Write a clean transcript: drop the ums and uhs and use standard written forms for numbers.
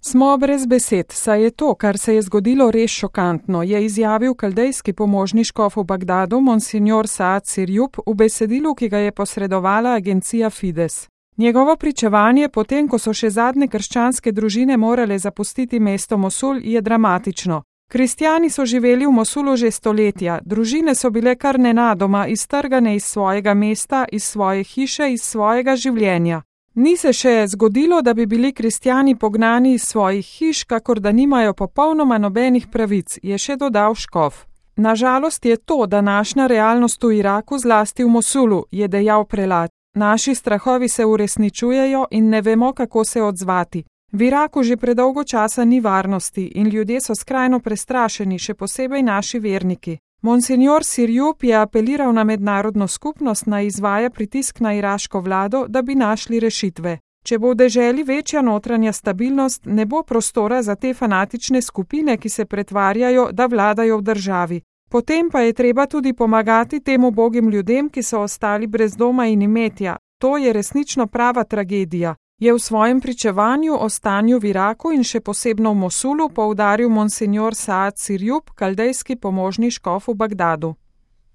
Smo brez besed, saj je to, kar se je zgodilo, res šokantno, je izjavil kaldejski pomožni škof v Bagdadu monsignor Saad Sirjup v besedilu, ki ga je posredovala agencija Fides. Njegovo pričevanje, potem ko so še zadnje krščanske družine morale zapustiti mesto Mosul, je dramatično. Kristjani so živeli v Mosulu že stoletja, družine so bile kar nenadoma iztrgane iz svojega mesta, iz svoje hiše, iz svojega življenja. Ni se še zgodilo, da bi bili kristjani pognani iz svojih hiš, kakor da nimajo popolnoma nobenih pravic, je še dodal škof. Nažalost je to današnja realnost v Iraku, zlasti v Mosulu, je dejal prelat. Naši strahovi se uresničujejo in ne vemo, kako se odzvati. V Iraku že predolgo časa ni varnosti in ljudje so skrajno prestrašeni, še posebej naši verniki. Monsignor Sirjup je apeliral na mednarodno skupnost, naj izvaja pritisk na iraško vlado, da bi našli rešitve. Če bo v deželi večja notranja stabilnost, ne bo prostora za te fanatične skupine, ki se pretvarjajo, da vladajo v državi. Potem pa je treba tudi pomagati tem ubogim ljudem, ki so ostali brez doma in imetja. To je resnično prava tragedija, je v svojem pričevanju o stanju v Iraku in še posebno v Mosulu poudaril monsignor Saad Sirjup, kaldejski pomožni škof v Bagdadu.